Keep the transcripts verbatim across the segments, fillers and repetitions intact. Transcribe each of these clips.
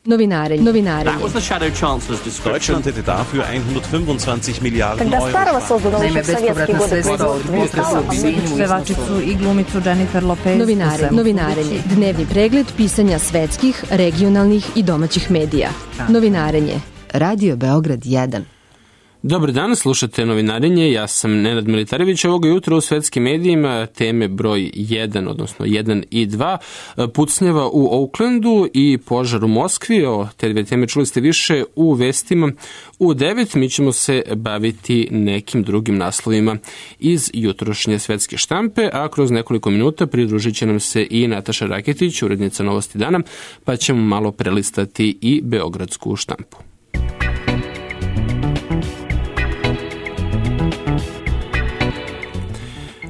Novinarenje. Novinarenje. Deutschland hätte dafür hundertfünfundzwanzig Miliarden Когда старого Euro. создано еще в советские годы производство Pevačicu i glumicu Jennifer Lopez. Novinarenje. Novinarenje. Dnevni pregled pisanja svetskih, regionalnih i domaćih medija. Novinarenje. Radio Beograd jedan. Dobar dan, slušate Novinarenje, ja sam Nenad Militarević. Ovoga jutra u svetskim medijima teme broj jedan, odnosno jedan i dva, pucnjava u Oaklandu i požar u Moskvi. O te dve teme čuli ste više u vestima u devet. Mi ćemo se baviti nekim drugim naslovima iz jutrošnje svetske štampe, a kroz nekoliko minuta pridružit će nam se i Nataša Raketić, urednica Novosti dana, pa ćemo malo prelistati i beogradsku štampu.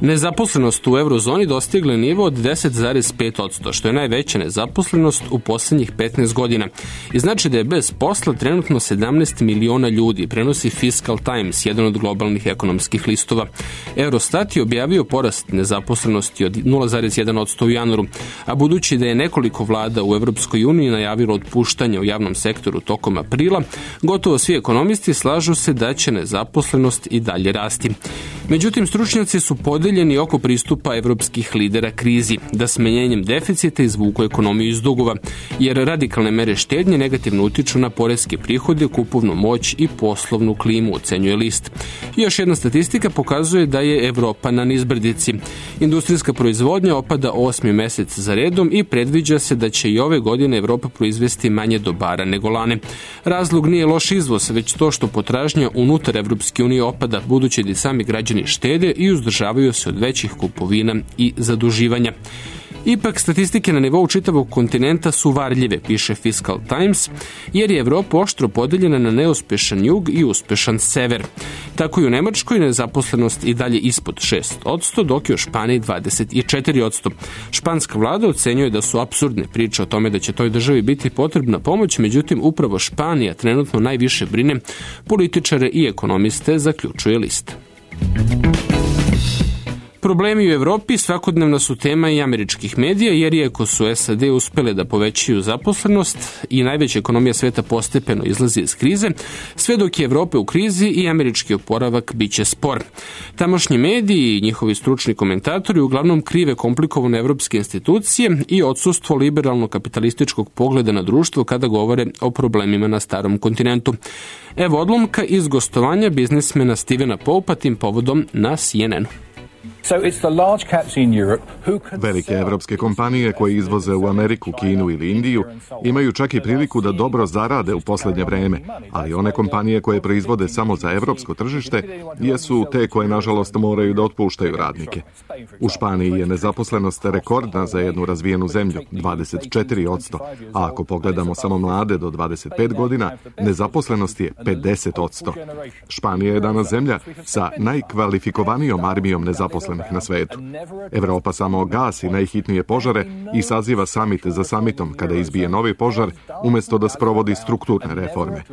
Nezaposlenost u eurozoni dostigla je nivo od deset zarez pet posto, što je najveća nezaposlenost u poslednjih petnaest godina. I znači da je bez posla trenutno sedamnaest miliona ljudi, prenosi Fiscal Times, jedan od globalnih ekonomskih listova. Eurostat je objavio porast nezaposlenosti od nula zarez jedan posto u januaru, a budući da je nekoliko vlada u Evropskoj uniji najavilo otpuštanje u javnom sektoru tokom aprila, gotovo svi ekonomisti slažu se da će nezaposlenost i dalje rasti. Međutim, stručnjaci su podeljeni oko pristupa evropskih lidera krizi, da smanjenjem deficita izvuku ekonomiju iz dugova, jer radikalne mere štednje negativno utiču na poreske prihode, kupovnu moć i poslovnu klimu, ocenjuje list. Još jedna statistika pokazuje da je Evropa na nizbrdici. Industrijska proizvodnja opada osmi mesec za redom i predviđa se da će i ove godine Evropa proizvesti manje dobara nego lane. Razlog nije loš izvoz, već to što potražnja unutar Evropske unije opada, budući da sami građani štede i uzdržavaju se od većih kupovina i zaduživanja. Ipak, statistike na nivou čitavog kontinenta su varljive, piše Fiscal Times, jer je Evropa oštro podeljena na neuspešan jug i uspešan sever. Tako i u Nemačkoj nezaposlenost i dalje ispod šest posto, dok je u Španiji dvadeset četiri posto. Španska vlada ocenjuje da su apsurdne priče o tome da će toj državi biti potrebna pomoć, međutim upravo Španija trenutno najviše brine političare i ekonomiste, zaključuje list. Problemi u Evropi svakodnevna su tema i američkih medija, jer iako su S A D uspele da povećaju zaposlenost i najveća ekonomija sveta postepeno izlazi iz krize, sve dok je Evropa u krizi i američki oporavak biće spor. Tamošnji mediji i njihovi stručni komentatori uglavnom krive komplikovane evropske institucije i odsustvo liberalno-kapitalističkog pogleda na društvo kada govore o problemima na starom kontinentu. Evo odlomka iz gostovanja biznismena Stevena Poupa tim povodom na C N N-u. Velike evropske kompanije koje izvoze u Ameriku, Kinu ili Indiju imaju čak i priliku da dobro zarade u poslednje vreme, ali one kompanije koje proizvode samo za evropsko tržište jesu te koje nažalost moraju da otpuštaju radnike. U Španiji je nezaposlenost rekordna za jednu razvijenu zemlju, dvadeset četiri posto, a ako pogledamo samo mlade do dvadeset pet godina, nezaposlenost je pedeset posto. Španija je danas zemlja sa najkvalifikovanijom armijom nezaposlenih na svetu. Evropa samo gasi najhitnije požare i saziva samit za samitom kada izbije novi požar, umesto da sprovodi strukturne reforme.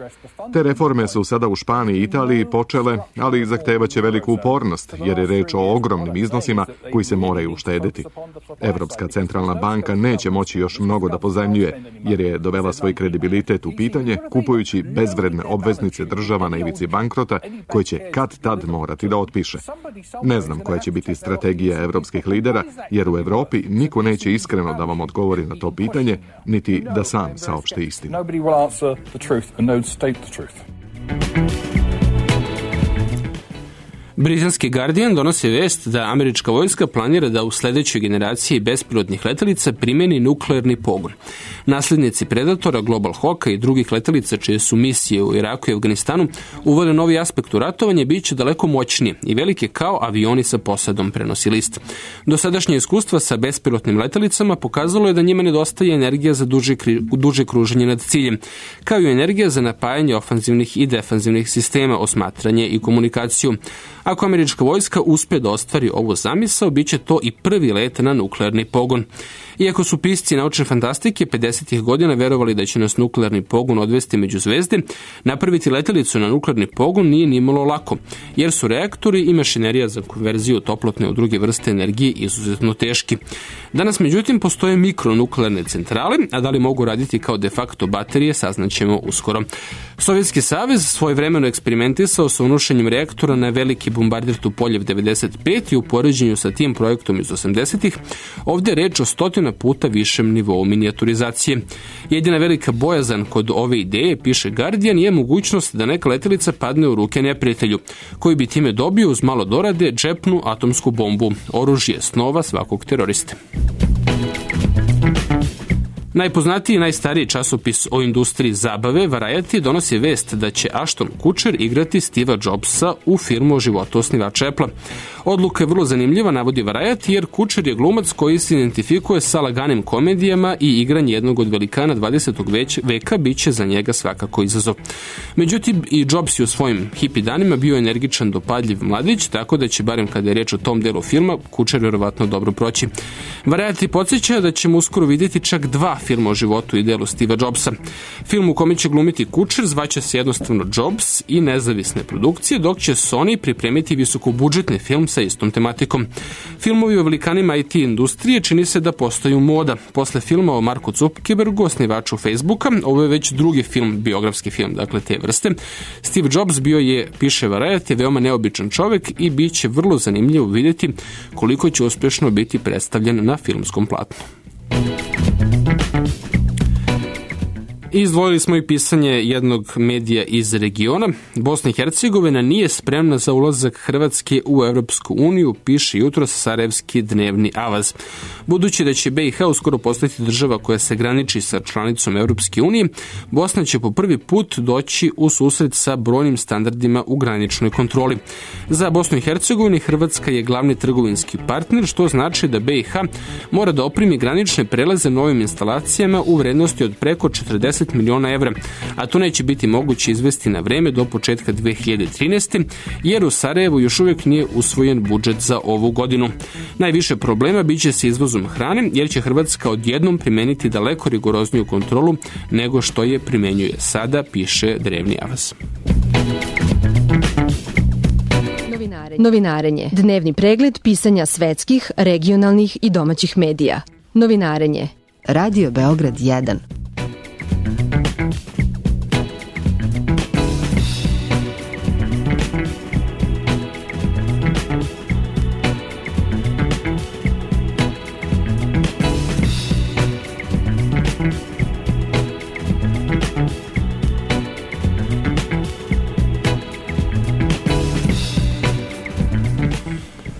Te reforme su sada u Španiji i Italiji počele, ali zahtevaće veliku upornost, jer je reč o ogromnim iznosima koji se moraju uštedeti. Evropska centralna banka neće moći još mnogo da pozajmljuje, jer je dovela svoj kredibilitet u pitanje kupujući bezvredne obveznice država na ivici bankrota koje će kad tad morati da otpiše. Ne znam koja će biti strategija evropskih lidera, jer u Evropi niko neće iskreno da vam odgovori na to pitanje, niti da sam saopšte istinu. Britanski Guardian donosi vest da američka vojska planira da u sledećoj generaciji bespilotnih letelica primeni nuklearni pogon. Naslednici Predatora, Global Hawka i drugih letelica čije su misije u Iraku i Afganistanu uvode novi aspekt u ratovanje, bit će daleko moćnije i velike kao avioni sa posadom, prenosi list. Dosadašnje iskustva sa bespilotnim letelicama pokazalo je da njima nedostaje energija za duže, duže kruženje nad ciljem, kao i energija za napajanje ofanzivnih i defanzivnih sistema, osmatranje i komunikaciju. Ako američka vojska uspe da ostvari ovu zamisao, bit će to i prvi let na nuklearni pogon. Iako su pisci naučne fantastike pedesetih godina verovali da će nas nuklearni pogon odvesti među zvezde, napraviti letelicu na nuklearni pogon nije nimalo lako, jer su reaktori i mašinerija za konverziju toplotne u druge vrste energije izuzetno teški. Danas, međutim, postoje mikronuklearne centrale, a da li mogu raditi kao de facto baterije, saznaćemo uskoro. Sovjetski savez svojevremeno eksperimentisao sa unošenjem reaktora na veliki bombarder Tupoljev devedeset pet i u poređenju sa tim projektom iz osamdesetih, ovdje je reč o stotina puta višem nivou minijaturizacije. Jedina velika bojazan kod ove ideje, piše Guardian, je mogućnost da neka letelica padne u ruke neprijatelju, koji bi time dobio uz malo dorade džepnu atomsku bombu, oružje snova svakog teroriste. Najpoznatiji i najstariji časopis o industriji zabave, Variety, donosi vest da će Ashton Kutcher igrati Steva Jobsa u filmu o životu osnivača Apple-a. Odluka je vrlo zanimljiva, navodi Variety, jer Kutcher je glumac koji se identifikuje sa laganim komedijama i igranje jednog od velikana dvadesetog veka biće za njega svakako izazov. Međutim, i Jobs je u svojim hipi danima bio energičan, dopadljiv mladić, tako da će, barem kada je reč o tom delu filma, Kutcher vjerovatno dobro proći. Variety podsjeća da ćemo uskoro vidjeti čak dva filma o životu i delu Steva Jobsa. Film u kome će glumiti Kutcher zvaće se jednostavno Jobs i nezavisne produkcije, dok će Sony pripremiti visokobudžetni film sa istom tematikom. Filmovi o velikanima I T industrije čini se da postaju moda. Posle filma o Marku Zuckerbergu, osnivaču Facebooka, ovo je već drugi film, biografski film, dakle te vrste. Steve Jobs bio je, piše Variety, veoma neobičan čovjek i bit će vrlo zanimljivo vidjeti koliko će uspješno biti predstavljen na filmskom platnu. Izdvojili smo i pisanje jednog medija iz regiona. Bosna i Hercegovina nije spremna za ulazak Hrvatske u Europsku uniju, piše jutros Sarajevski dnevni avaz. Budući da će B i H uskoro postati država koja se graniči sa članicom Europske unije, Bosna će po prvi put doći u susret sa brojnim standardima u graničnoj kontroli. Za Bosnu i Hercegovinu Hrvatska je glavni trgovinski partner, što znači da B i H mora da opremi granične prelaze novim instalacijama u vrednosti od preko četrdeset miliona evra, a to neće biti moguće izvesti na vreme do početka dve hiljade trinaeste. jer u Sarajevu još uvijek nije usvojen budžet za ovu godinu. Najviše problema biće sa izvozom hrane, jer će Hrvatska odjednom primeniti daleko rigorozniju kontrolu nego što je primenjuje sada, piše Drevni avaz. Novinarenje. Dnevni pregled pisanja svetskih, regionalnih i domaćih medija. Novinarenje. Radio Beograd jedan.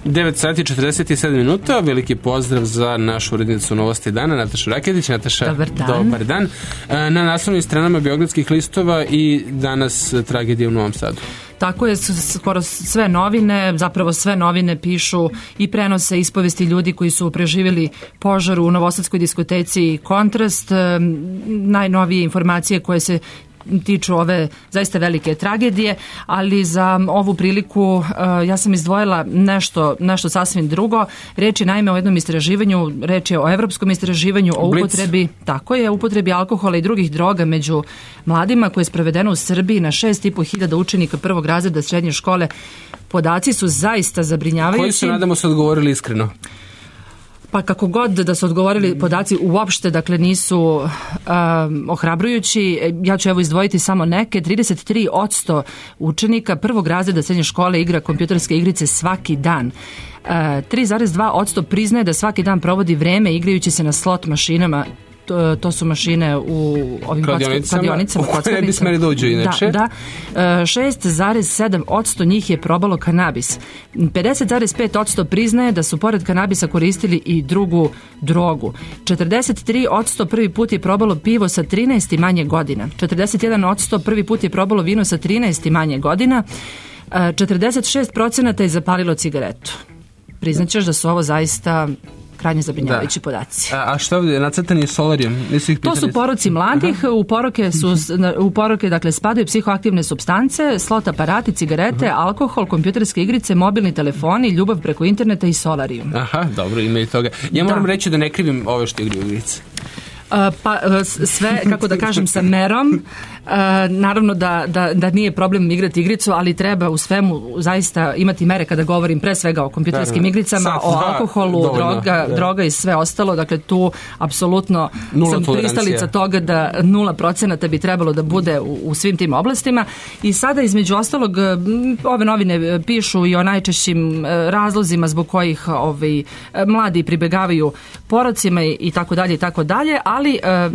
devet sati četrdeset sedam minuta, veliki pozdrav za našu urednicu Novosti dana, Natašu Raketić. Nataša, dobar dan. Dobar dan. Na naslovnim stranama Beogradskih listova i danas tragedija u Novom Sadu. Tako je, skoro sve novine, zapravo sve novine pišu i prenose ispovesti ljudi koji su preživjeli požar u novosadskoj diskoteci Kontrast. Najnovije informacije koje se tiču ove zaista velike tragedije, ali za ovu priliku uh, ja sam izdvojila nešto, nešto sasvim drugo. Reč je naime o jednom istraživanju, reč je o evropskom istraživanju o upotrebi, tako je, upotrebi alkohola i drugih droga među mladima koje je sprovedeno u Srbiji na šest i po hiljada učenika prvog razreda srednje škole. Podaci su zaista zabrinjavajući. Koji su, nadamo se, odgovorili iskreno? Pa kako god da su odgovorili, podaci uopšte, dakle, nisu um, ohrabrujući. Ja ću evo izdvojiti samo neke. trideset tri posto učenika prvog razreda srednje škole igra kompjuterske igrice svaki dan. Uh, tri zarez dva posto priznaje da svaki dan provodi vreme igrajući se na slot mašinama. To, to su mašine u ovim kladionicama. U koje ne bi smeli dođu inače. Da, da. šest zarez sedam posto njih je probalo kanabis. pedeset zarez pet posto priznaje da su pored kanabisa koristili i drugu drogu. četrdeset tri posto prvi put je probalo pivo sa trinaest i manje godina. četrdeset jedan posto prvi put je probalo vino sa trinaest i manje godina. četrdeset šest procenata je zapalilo cigaretu. Priznaćeš da su ovo zaista krajnje zabrinjavajući da. podaci. A, a što ovdje, nacrtani solarijom? Nisu ih pitali? To su poroci mladih, uh-huh. u poroke su u poroke dakle spadaju psihoaktivne supstance, slot aparati, cigarete, uh-huh. alkohol, kompjuterske igrice, mobilni telefoni, ljubav preko interneta i solarijum. Aha, dobro, ima i toga. Ja moram da. reći da ne krivim ove što igraju igrice. Pa sve, kako da kažem, sa merom. Naravno da, da, da nije problem igrati igricu, ali treba u svemu zaista imati mere kada govorim pre svega o kompjuterskim igricama, Sad, o alkoholu, dovoljno, droga, da. droga i sve ostalo. Dakle, tu apsolutno sam pristalica toga da nula procenata bi trebalo da bude u, u svim tim oblastima. I sada između ostalog ove novine pišu i o najčešćim razlozima zbog kojih ovaj, mladi pribegavaju porocima i tako dalje i tako dalje, ali e,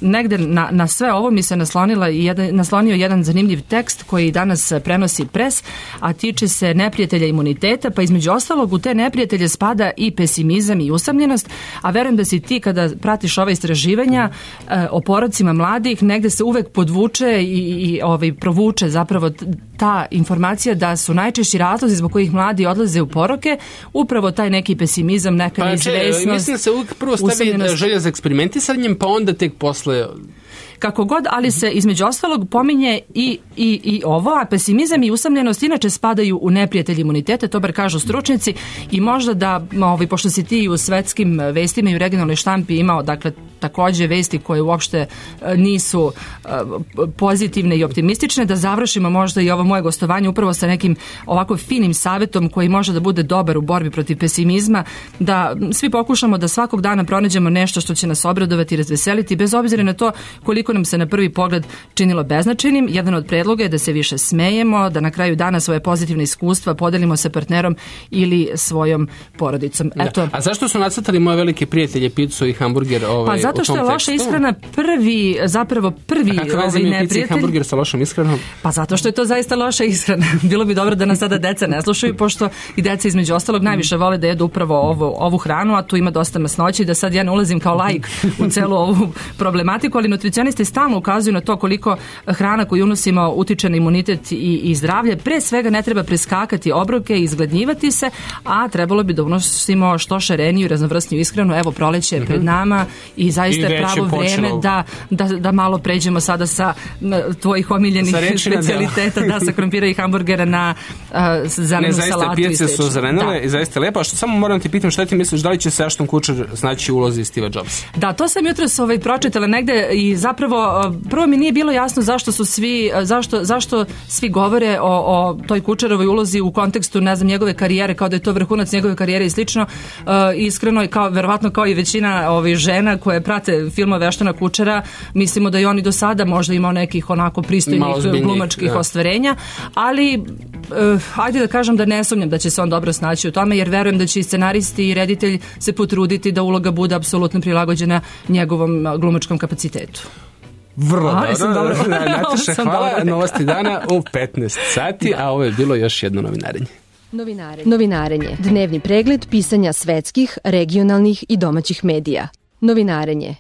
negde na, na sve ovo mi se naslonila i jedan, naslonio jedan zanimljiv tekst koji danas prenosi Pres, a tiče se neprijatelja imuniteta, pa između ostalog u te neprijatelje spada i pesimizam i usamljenost, a verujem da si ti kada pratiš ova istraživanja e, o porocima mladih, negde se uvek podvuče i, i ovaj, provuče zapravo ta informacija da su najčešći razlozi zbog kojih mladi odlaze u poroke upravo taj neki pesimizam, neka neizvesnost. Pa, mislim da se uvijek prvo stavi želja za eksperimentisanjem, pa onda tek posle... Kako god, ali se između ostalog pominje i, i, i ovo, a pesimizam i usamljenost inače spadaju u neprijatelji imuniteta, to bar kažu stručnjaci, i možda da, ovaj, pošto si ti u svetskim vestima i u regionalnoj štampi imao, dakle, takođe vesti koje uopšte nisu uh, pozitivne i optimistične, da završimo možda i ovo moje gostovanje upravo sa nekim ovako finim savjetom koji može da bude dobar u borbi protiv pesimizma, da svi pokušamo da svakog dana pronađemo nešto što će nas obradovati i razveseliti, bez obzira na to koliko nam se na prvi pogled činilo beznačajnim. Jedan od predloga je da se više smejemo, da na kraju dana svoje pozitivne iskustva podelimo sa partnerom ili svojom porodicom. Eto. Da. A zašto su nacrtali moje velike prijatelje picu i hamburger ovaj, pa zato što je loša ishrana prvi, zapravo prvi ovaj neprijatelj. Hamburger sa lošom ishranom? Pa zato što je to zaista loša ishrana. Bilo bi dobro da nas sada deca ne slušaju, pošto i deca između ostalog najviše vole da jedu upravo ovu, ovu hranu, a tu ima dosta masnoće, da sad ja ne ulazim kao laik u celu ovu problematiku, ali nutricionisti stalno ukazuju na to koliko hrana koju unosimo utiče na imunitet i, i zdravlje. Pre svega ne treba preskakati obroke i izgladnjivati se, a trebalo bi da unosimo što šareniju i raznovrsniju ishranu. Evo, proleće je pred nama i zaista je pravo vreme da, da, da malo pređemo sada sa tvojih omiljenih specijaliteta, da, sa krompira i hamburgera na uh, zelenu ne, salatu i pijace su zelenile da. I zaista lepo. A što samo moram ti pitam, šta ti misliš, da li će se Ashton Kutcher znaći ulozi Steve Jobsa? Da, to sam jutros ovaj, pročitala negde i zapravo prvo mi nije bilo jasno zašto su svi, zašto, zašto svi govore o, o toj Kutcherovoj ulozi u kontekstu, ne znam, njegove karijere, kao da je to vrhunac njegove karijere i slično. Uh, iskreno, kao, verovatno kao i većina ovih žena koje prate filmove Ashtona Kutchera, mislimo da i oni do sada možda imao nekih onako pristojnih glumačkih ja. ostvarenja, ali uh, ajde da kažem da ne sumnjam da će se on dobro snaći u tome, jer verujem da će i scenaristi i reditelj se potruditi da uloga bude apsolutno prilagođena njegovom glumačkom kapacitetu. Vrlo a, dobro. dobro. Nataša, hvala. Dobro. Novosti dana u petnaest sati, a ovo je bilo još jedno novinarenje. Novinarenje. Novinarenje. Dnevni pregled pisanja svetskih, regionalnih i domaćih medija. Novinarenje.